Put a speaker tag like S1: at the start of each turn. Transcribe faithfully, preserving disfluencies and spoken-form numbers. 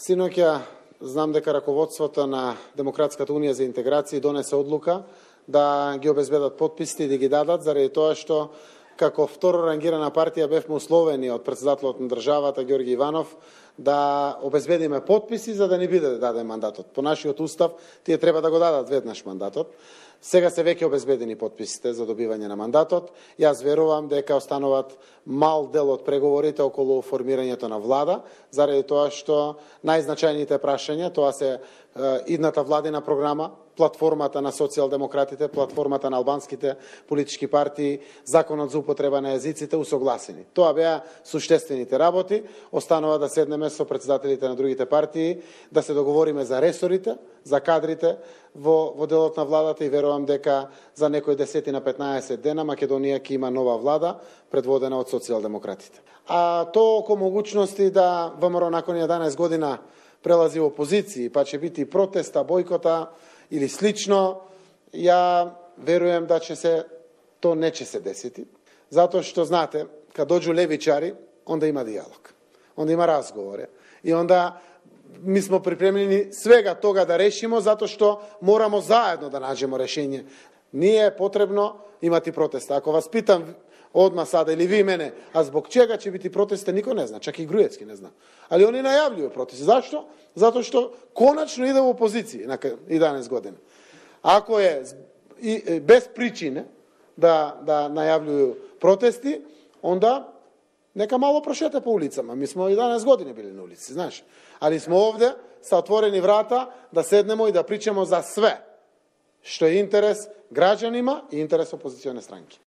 S1: Синоќа знам дека раководството на Демократската унија за интеграција донесе одлука да ги обезбедат потписите и да ги дадат, заради тоа што како второ рангирана партија бевме условени од претседателот на државата Ѓорги Иванов да обезбедиме потписи за да ни биде даден мандатот. По нашиот устав тие треба да го дадат веднаш мандатот. Сега се веќе обезбедени потписите за добивање на мандатот. Јас верувам дека остануваат мал дел од преговорите околу формирањето на влада, заради тоа што најзначајните прашања, тоа се идната владина програма, платформата на социјалдемократите, платформата на албанските политички партии, законот за употреба на јазиците усогласени. Тоа беа суштествените работи. Останува да седнеме со претседателите на другите партии, да се договориме за ресорите, за кадрите во, во делот на владата и верувам дека за некои десет на петнаесет дена Македонија ќе има нова влада предводена од социјалдемократите. А тоа око могуćности да ВМРО након еднаесет година прелази во опозиции, па ќе бити протеста, бойкота или слично, ја верувам да ќе се то не ќе се десети, затоа што знаете, кога доđу левичари, онда има диалог, онда има разговори и онда ми смо припремljeni свега тога да решимо, затоа што морамо заедно да наđemo решение. Ние е потребно имати протеста. Ако вас питам одма сада или ви мене, а због чега ќе бити протеста, никој не зна, чак и Груевски не зна. Али они најавljуju протести. Зашто? Затоа што конечно иде во опозиција на еднаесет година. Ако е и, без причине да да најавljуju протести, онда нека мало прошете по улицама. Ми смо еднаесет години били на улици, знаеш. Али смо овде со отворени врата да седнемо и да причамо за све што е интерес граѓанима и интерес опозиционе странки.